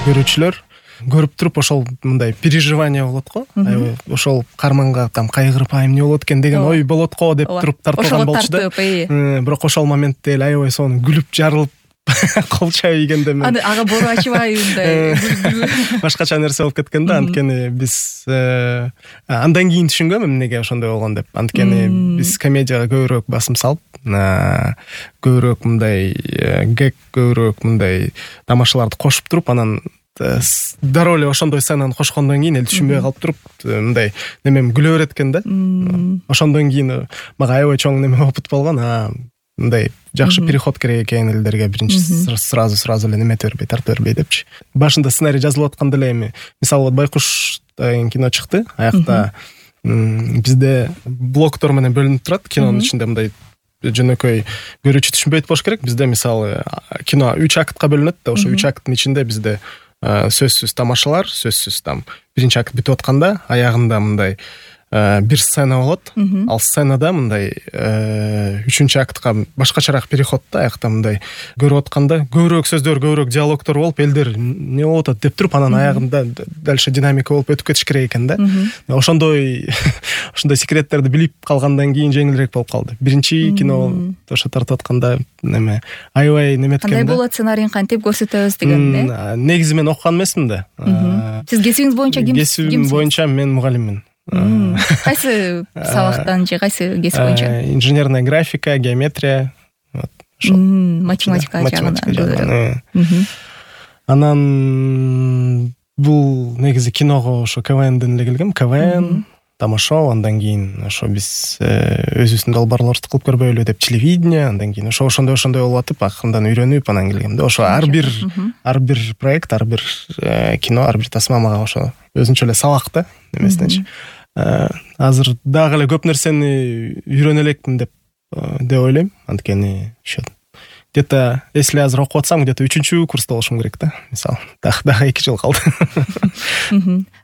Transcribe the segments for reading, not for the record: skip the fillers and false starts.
көрүүчүлөр көрүп туруп ошол мындай переживание болот го. Аябай ошол каарманга там кайгырып эмне болот экен деген ой болот го деп туруп тартылган болчу да. Бирок ошол моментте эле аябай сонун күлүп жарылып кол чай ийгенде мен ага бору ачыбай мындай башкача нерсе болуп кеткен да. Анткени биз андан кийин түшүнгөм эмнеге ошондой болгон деп. Анткени биз комедияга көбүрөөк басым салып, көбүрөөк мындай гэг, көбүрөөк мындай тамашаларды кошуп туруп, анан дароо эле ошондой сценаны кошкондон кийин эл түшүнбөй калып туруп, мындай немем күлө берет экен да. Ошондон кийин мага аябай чоң неме опыт болгон. Мындай жакшы переход керек экен элдерге, биринчи сразу эле немете бербей, тартып бербей депчи. Башында сценарий жазылып атканда эле эми мисалы Байкуш деген кино чыкты. Аякта бизде блоктор менен бөлүнүп турат. Кинонун ичинде мындай жөнөкөй көрүүчү түшүнбөйт болуш керек. Бизде мисалы кино 3 актка бөлүнөт да. Ошо 3 акттын ичинде бизде сөзсүз тамашалар, сөзсүз там биринчи акт бүтүп атканда аягында мындай бир сцена болот. Ал сценада мындай 3-чү актка башкачараак переход да. Аякта мындай көрүп атканда көбүрөөк сөздөр, көбүрөөк диалогтор болуп, элдер эмне болуп атат деп туруп, анан аягында дальше динамика болуп өтүп кетиш керек экен да. Ошондой секреттерди билип калгандан кийин жеңилирээк болуп калды. Биринчи кино ошо тартып атканда неме аябай неметкен да. Кандай болот сценарийин кантип көрсөтөбүз деген да. Негизи мен окуган эмесмин да. Сиз кесибиңиз боюнча кимсиз? Кесибим боюнча мен мугалиммин. Кайсы сабактан же кайсы кесип боюнча? Инженерная графика, геометрия, математика жагынан. Анан бул негизи киного ошо КВНден эле келгем. КВН, тамашоо, андан кийин ошо биз өзүбүздүн долбоорлорубузду кылып көрбөйлү деп телевидение, андан кийин ошондой болуп атып, акырындан үйрөнүп анан келгем да. Ошо ар бир проект, ар бир кино, ар бир тасма мага ошо өзүнчө эле сабак да немесинечи. Азыр дагы эле көп нерсени үйрөнө элекмин деп ойлойм. Анткени ошо где-то если азыр окуп атсам, где-то 3-чү курста болушум керек да. Мисалы, дагы 2 жыл калды.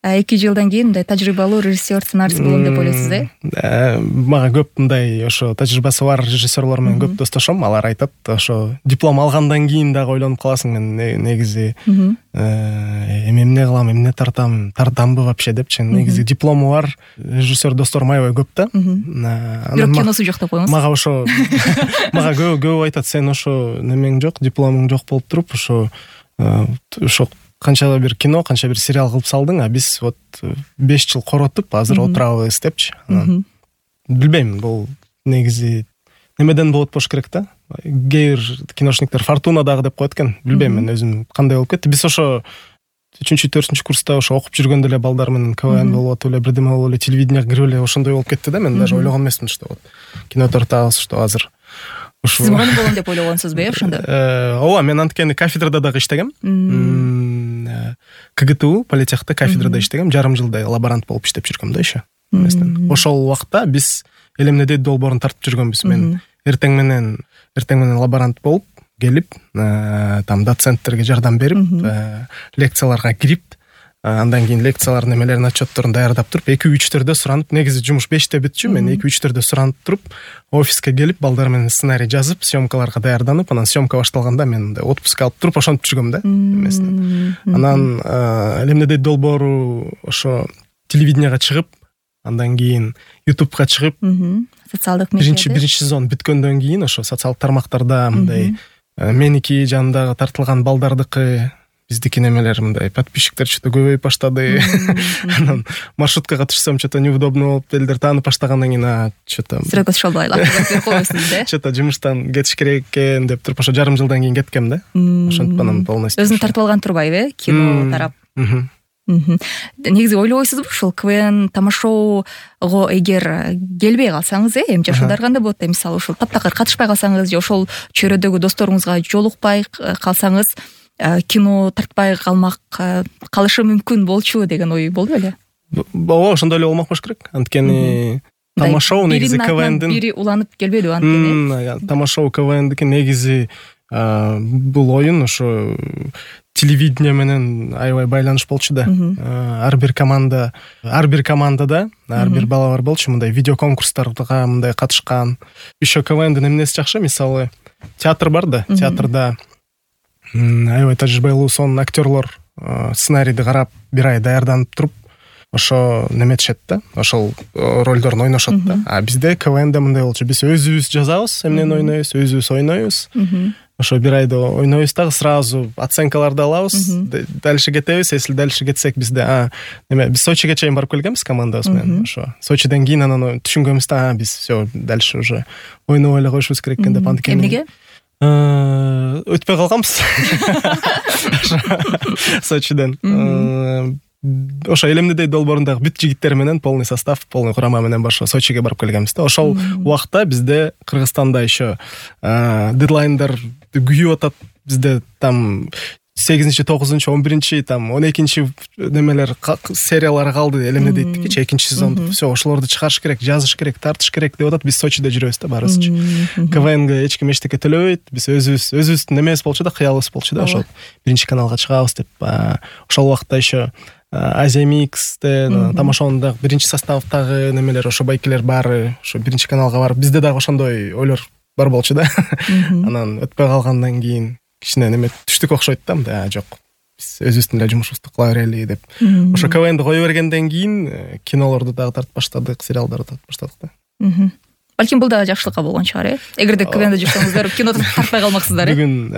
2 жылдан кийин мындай тажрыйбалуу режиссер, сценарист болом деп ойлойсуз, Мага көп мындай ошо тажрыйбасы бар режиссерлор менен көп достошом. Алар айтат, ошо диплом алгандан кийин дагы ойлонуп каласың, мен негизи эмне кылам, эмне тартамбы вообще депчи. Негизи диплому бар режиссер досторум аябай көп да. Бирок киносу жок деп коюңуз. Мага ошо көп айтат, сен ошо немең жок, дипломуң жок болуп туруп, ошо канча бир кино, канча бир сериал кылып салдың, а биз вот 5 жыл коротуп азыр отурабыз депчи. Билбейм, бул негизи немеден болот болуш керек да. Кээ бир киношниктер фортуна дагы деп коет экен. Билбейм мен өзүм кандай болуп кетти. Биз ошо 3-4 курста ошо окуп жүргөндө эле балдар менен КВН болуп атып эле, бирдеме болуп эле, телевидениеге кирип эле ошондой болуп кетти да. Мен даже ойлогон эмесмин, что вот кино тартабыз, что азыр Сиз мугалим болом деп ойлогонсузбу, ошондо? Ооба, мен анткени кафедрада дагы иштегем. КГТУ политехте кафедрада иштегем. Жарым жылдай лаборант болуп иштеп жүргөм да еще. Ошол убакта биз эл эмне долбоорун тартып жүргөнбүз. Мен эртең менен лаборант болуп келип, там доценттерге жардам берип, лекцияларга кирип, андан кийин лекциялардын немелерин, отчетторун даярдап туруп, 2-3-төрдө суранып, негизи жумуш 5-те бүтчү, мен 2-3-төрдө суранып туруп, офиске келип, балдар менен сценарий жазып, съемкаларга даярданып, анан съемка башталганда мен отпуск алып туруп ошентип жүргөм да. Анан элемне долбоору ошо телевидениега чыгып, андан кийин YouTubeга чыгып, социалдык медиа. Биринчи сезон бүткөндөн кийин ошо социалдык тармактарда мындай меники жанындагы тартылган балдардыкы, биздики немелер мындай подписчиктер что-то көбөйүп баштады. Анан маршруткага түшсөм, что-то неудобно болуп, элдер таанып баштагандан кийин что-то Строгос шолбай лактырып койбойсуз да. Что-то жумуштан кетиш керек экен деп туруп, ошо жарым жылдан кийин кеткем да. Ошентип анан полностью. Өзүн тартып алган турбайбы, кино тарап? Негизи ойлобойсузбу, ушул КВН тамашоого эгер келбей калсаңыз, эми жашоодар кандай болот? Мисалы ушул таптакыр катышпай калсаңыз же ошол чөйрөдөгү досторуңузга жолукпай калсаңыз, кино тартпай калышы мүмкүн болчу деген ой болду беле? Ооба, ошондой эле болмок болуш керек. Анткени тамашоо негизи КВНдин бири уланып келбедиби анткени? Тамашоо КВНдики негизи бул оюн ошо телевидение менен аябай байланыш болчу да. Ар бир командада ар бир бала бар болчу, мындай видео конкурстарга мындай катышкан. Еще КВНдин эмнеси жакшы, мисалы театр бар да, театрда аябай тажрыйбалуу сонун актерлор сценарийди карап бир ай даярданып туруп ошо неметишет да, ошол ролдорун ойношот да. А бизде КВНде мындай болчу, биз өзүбүз жазабыз, эмнени ойнойбуз, өзүбүз ойнойбуз. Ошо бир айда ойнойбуз дагы сразу оценкаларды алабыз, дальше кетебиз. Если дальше кетсек бизде биз Сочиге чейин барып келгенбиз командабыз менен. Ошо Сочиден кийин анан түшүнгөнбүз да, биз все дальше уже ойнобой эле коюшубуз керек экен деп. Эмнеге? Өтпөй калганбыз Сочиден. Ошо элемдедей долбоорундагы бүт жигиттер менен полный состав, полный курама менен башка Сочиге барып келгенбиз да. Ошол убакта бизде Кыргызстанда еще дедлайндар күйүп атат. Бизде там 8-9, 11, там 12 немелер сериялары калды, элемдедейт 2 сезонду. Все, ошолорду чыгарыш керек, жазыш керек, тартыш керек деп атат. Биз Сочиде жүрөбүз да баарыбызчы. КВНге эч ким эчтеке төлөбөйт. Биз өзүбүздүн немебиз болчу да, кыялыбыз болчу да, ошол биринчи каналга чыгабыз деп. Ошол убакта еще Азия Миксте, тамашоонун биринчи составдагы немелер, ошо байкелер баары ошо биринчи каналга барып, бизде дагы ошондой ойлор бар болчу да. Анан өтпөй калгандан кийин кичине неме түштүк окшойт да, жок, биз өзүбүздүн эле жумушубузду кыла берели деп. Ошо КВНди кое бергенден кийин кинолорду дагы тартып баштадык, сериалдарды тартып баштадык да. Балким бул дагы жакшылыкка болгон чыгар, эгерде КВНде жүрсөңүздөр, киноду тартпай калмаксыздар. Бүгүн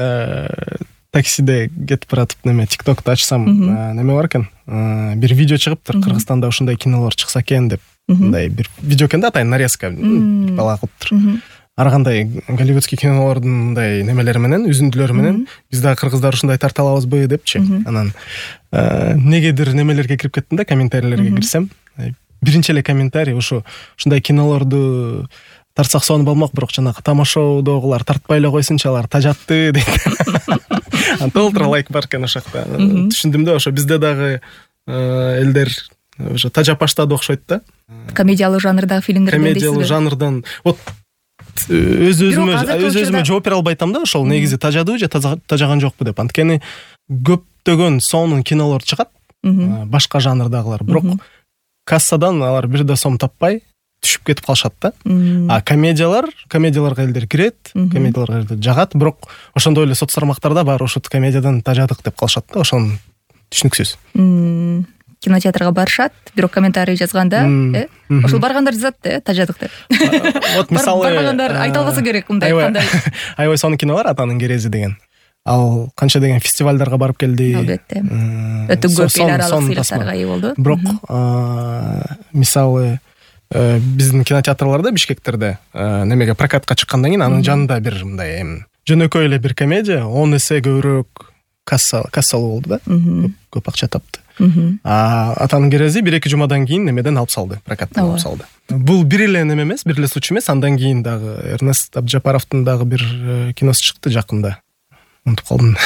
таксиде кетип баратып ТикТокту ачсам, неме бар экен, бир видео чыгыптыр, Кыргызстанда ушундай кинолор чыкса экен деп. Мындай бир видео экен да, атайын нарезка, бала кылыптыр. Ар кандай голливудский кинолордун мындай немелери менен, үзүндүлөрү менен биз дагы кыргыздар ушундай тарта алабызбы депчи. Анан негедир немелерге кирип кеттим да, комментарийлерге кирсем, биринчи эле комментарий ушундай кинолорду тартсак сонун болмок, бирок жанагы тамашоодогулар тартпай эле койсунчу, алар тажатты дейт. Толтура лайк бар экен ошол жакта. Түшүндүм да, ошо бизде дагы элдер уже тажап баштады окшойт да. Комедиялык жанрдагы фильмдер дейсизби? Комедиялык жанрдан вот өзүмө жооп бере албай атам да, ошол негизи тажадыбы же тажаган жокпу деп. Анткени көптөгөн сонун кинолор чыгат, башка жанрдагылар, бирок кассадан алар бир да сом таппай түшүп кетип калышат да. А комедияларга элдер кирет, комедияларга элдер жагат, бирок ошондой эле соц тармактарда баары ошол комедиядан тажадык деп калышат да, ошону түшүнүксүз. Кинотеатрга барышат, бирок комментарий жазганда, ошол баргандар жазат, тажадык деп. Вот мисалы баргандар айта албаса керек, мындай кандай. Аябай сонун кино бар, Атанын керези деген. Ал канча деген фестивалдарга барып келди. Албетте. Өтө көп эл аралык сыйлыктарга ээ болду. Бирок мисалы биздин кинотеатрларда, Бишкектерде немеге прокатка чыккандан кийин анын жанында бир мындай жөнөкөй эле бир комедия 10 эсе көбүрөөк кассалуу болду да. Көп акча тапты. Атанын керези 1-2 жумадан кийин немеден алып салды, прокаттан алып салды. Бул бир эле неме эмес, бир эле случай эмес. Андан кийин дагы Эрнест Абджапаровдун дагы бир киносу чыкты жакында. Унутуп калдым.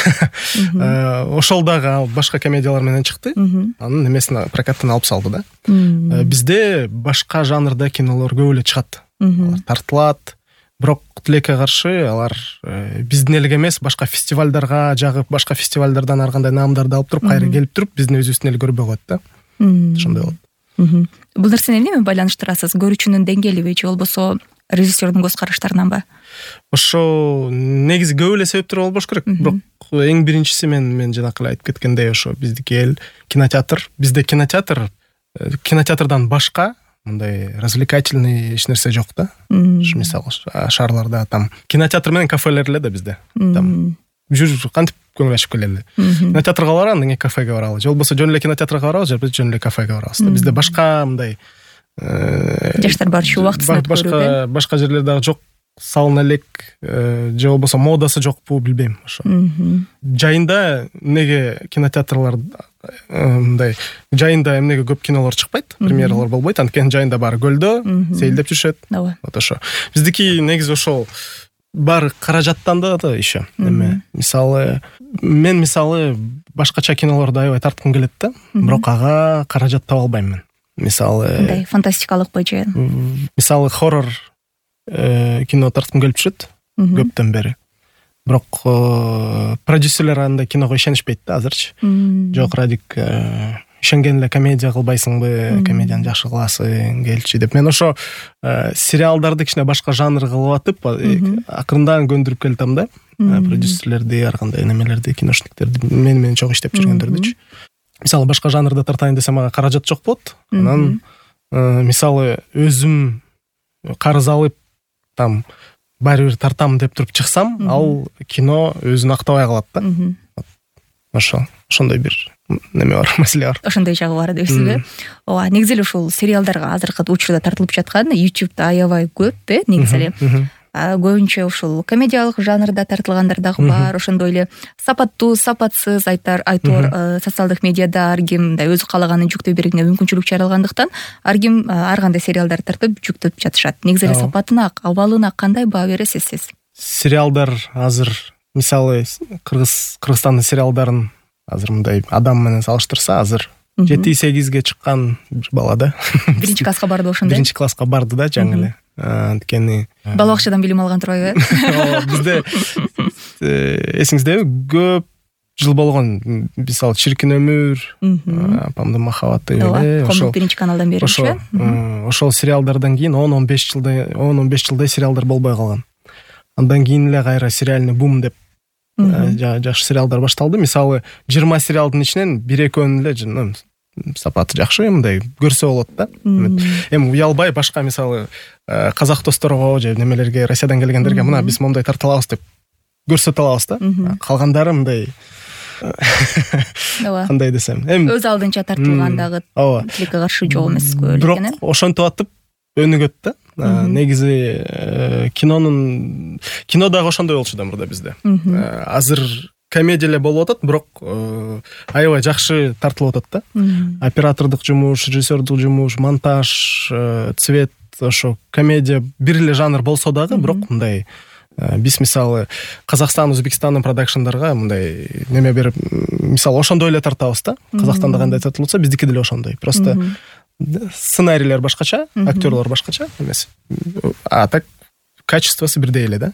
Ошол дагы башка комедиялар менен чыкты. Анын немесин прокаттан алып салды да. Бизде башка жанрда кинолор көп эле чыгат. Алар тартылат. Бирок тилекке каршы алар биздин элге эмес, башка фестивалдарга жагып, башка фестивалдардан ар кандай наамдарды алып туруп, кайра келип туруп, биздин өзүбүздүн эл көрбөй коет да. Ошондой болот. Бул нерсени эмне менен байланыштырасыз? Көрүүчүнүн деңгээлиби же болбосо режиссердун көз караштарынан? Ошо негизи көп эле себептер болбош керек. Бирок эң биринчиси мен жанакы эле айтып кеткендей, ошо биздики эл кинотеатр. Бизде кинотеатрдан башка мындай развлекательный эч нерсе жок да. Мисалы шаарларда там кинотеатр менен кафелер эле да бизде. Там жүр кантип көңүл ачып келели. Кинотеатрга барабыз, андан кийин кафеге барабыз. Же болбосо жөн эле кинотеатрга барабыз, же жөн эле кафеге барабыз. Бизде башка мындай жаштар барчу убактысын өткөрүү. Башка жерлерде дагы жок, салына элек, же болбосо модасы жокпу билбейм ошо. Жайында неге кинотеатрлар мындай жайында эмнеге көп кинолор чыкпайт, премьералар болбойт, анткени жайында баары көлдө сейилдеп жүрүшөт. Вот ошо. Биздики негизи ошол баары каражаттанда да еще. Мисалы мен башкача кинолорду аябай тарткым келет да, бирок ага каражат таба албайм мен. Мисалы мындай фантастикалык же. Мисалы хоррор кино тарткым келип жүрөт көптөн бери. Бирок продюсерлер андай киного ишенишпейт да азырчы. Жок, Радик, ишенген эле комедия кылбайсыңбы, комедияны жакшы кыласың, келчи деп. Мен ошо сериалдарды кичине башка жанр кылып атып, акырындан көндүрүп келатам да. продюсерлерди, ар кандай немелерди, киношниктерди, менен чогуу иштеп жүргөндөрдүчү. Мисалы башка жанрда тартайын десем ага каражат жок болот. Анан мисалы өзүм карыз алып там баары бир тартам деп туруп чыксам, ал кино өзүн актабай калат да. Ошондой бир неме бар, маселе бар. Ошондой жагы бар дейсизби? Ооба, негизи эле ушул сериалдарга азыркы учурда тартылып жаткан YouTube'да аябай көп негизи эле. Көбүнчө ушул комедиялык жанрда тартылгандар дагы бар, ошондой эле сапаттуу, сапатсыз айтор социалдык медиада ар ким мындай өзү каалаганын жүктөй бергенге мүмкүнчүлүк жаралгандыктан ар ким ар кандай сериалдар тартып жүктөп жатышат. Негизи эле сапатына, абалына кандай баа бересиз сиз? Сериалдар азыр мисалы Кыргызстандын сериалдарын азыр мындай адам менен салыштырса, азыр 7-8ге чыккан бир бала да. Биринчи класска барды ошондой. Биринчи класска барды да, жаңы эле. Анткени бала бакчадан билим алган турбайбы? Бизде эсиңиздеби, көп жыл болгон, мисалы Чиркин өмүр, Апамдын махабаты эле, ошол биринчи каналдан беришчи. Ошол сериалдардан кийин 10-15 жылдай сериалдар болбой калган. Андан кийин эле кайра сериальный бум деп жакшы сериалдар башталды. Мисалы 20 сериалдын ичинен 1-2 эле сапаты жакшы, мындай көрсө болот да. Эми уялбай башка мисалы казак досторго же немелерге, Россиядан келгендерге мына биз мондай тарта алабыз деп көрсөтө алабыз да. Калгандары мындай кандай десем, эми өз алдынча тартылган дагы тилекке каршы жок эмес көп эле экен. Бирок ошентип атып өнүгөт да. Негизи кино дагы ошондой болчу да мурда бизде. Азыр комедия эле болуп атат, бирок аябай жакшы тартылып атат да. Оператордук жумуш, режиссердук жумуш, монтаж, цвет, ошо комедия бир эле жанр болсо дагы, бирок мындай биз мисалы Казакстан, Өзбекстандын продакшндарга мындай неме берип, мисалы ошондой эле тартабыз да. Казакстанда кандай тартылып атса, биздики деле ошондой. Просто сценарийлер башкача, актерлор башкача эмес. А так качествосы бирдей эле да.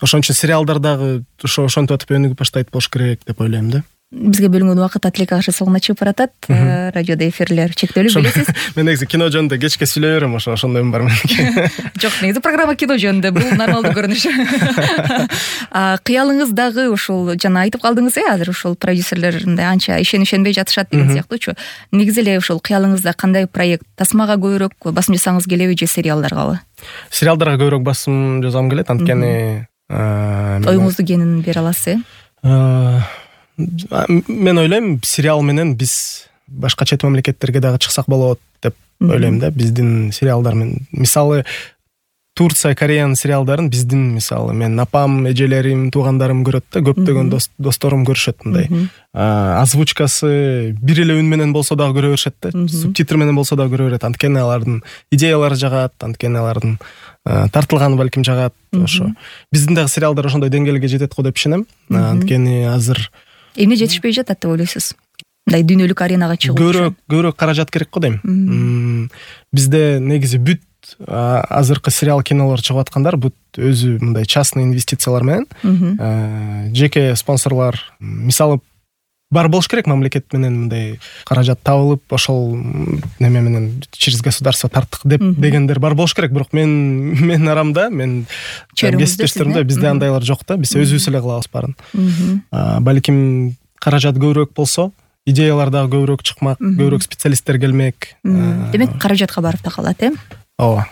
Ошон үчүн сериалдар дагы ошентип атып өнүгүп баштайт болуш керек деп ойлойм да. Бизге бөлүнгөн убакыт тилекке каршы соңуна чыгып баратат. Радиодо эфирлер чектелүү, билесиз. Мен негизи кино жөнүндө кечке сүйлөй берем, ошондойм бар меники. Жок, негизи программа кино жөнүндө, бул нормалдуу көрүнүш. Кыялыңыз дагы ушул жана айтып калдыңыз, азыр ушул продюсерлер мындай анча ишенбей жатышат деген сыяктуучу. Негизи эле ушул кыялыңызда кандай проект, тасмага көбүрөөк басым жасаңыз келеби же сериалдаргабы? Сериалдарга көбүрөөк басым жасагым келет, анткени оюңузду кенин бере аласыз, Мен ойлойм, сериал менен биз башка чет мамлекеттерге дагы чыксак болот деп ойлойм да. Биздин сериалдар менен, мисалы Турция, Кореянын сериалдарын биздин, мисалы мен апам, эжелерим, туугандарым көрөт да, көптөгөн досторум көрүшөт мындай. Озвучкасы бир эле үн менен болсо дагы көрө беришет да, субтитр менен болсо дагы көрө берет. Анткени алардын идеялары жагат, анткени алардын тартылганы балким жагат. Ошо биздин дагы сериалдар ошондой деңгээлге жетет го деп ишенем. Анткени азыр эмне жетишпей жатат деп ойлойсуз? Мындай дүйнөлүк аренага чыгуу көбүрөөк каражат керек го дейм. Бизде негизи бүт азыркы сериал кинолор чыгып аткандар бүт өзү мындай частный инвестициялар менен, жеке спонсорлор, мисалы бар болуш керек, мамлекет менен мындай каражат табылып, ошол неме менен через государство тарттык дегендер бар болуш керек, бирок мен арамда, мен кесиптештеримде бизде андайлар жок да, биз өзүбүз эле кылабыз баарын. Балким каражат көбүрөөк болсо, идеялар дагы көбүрөөк чыкмак, көбүрөөк специалисттер келмек. Демек каражатка барып такалат, Ооба.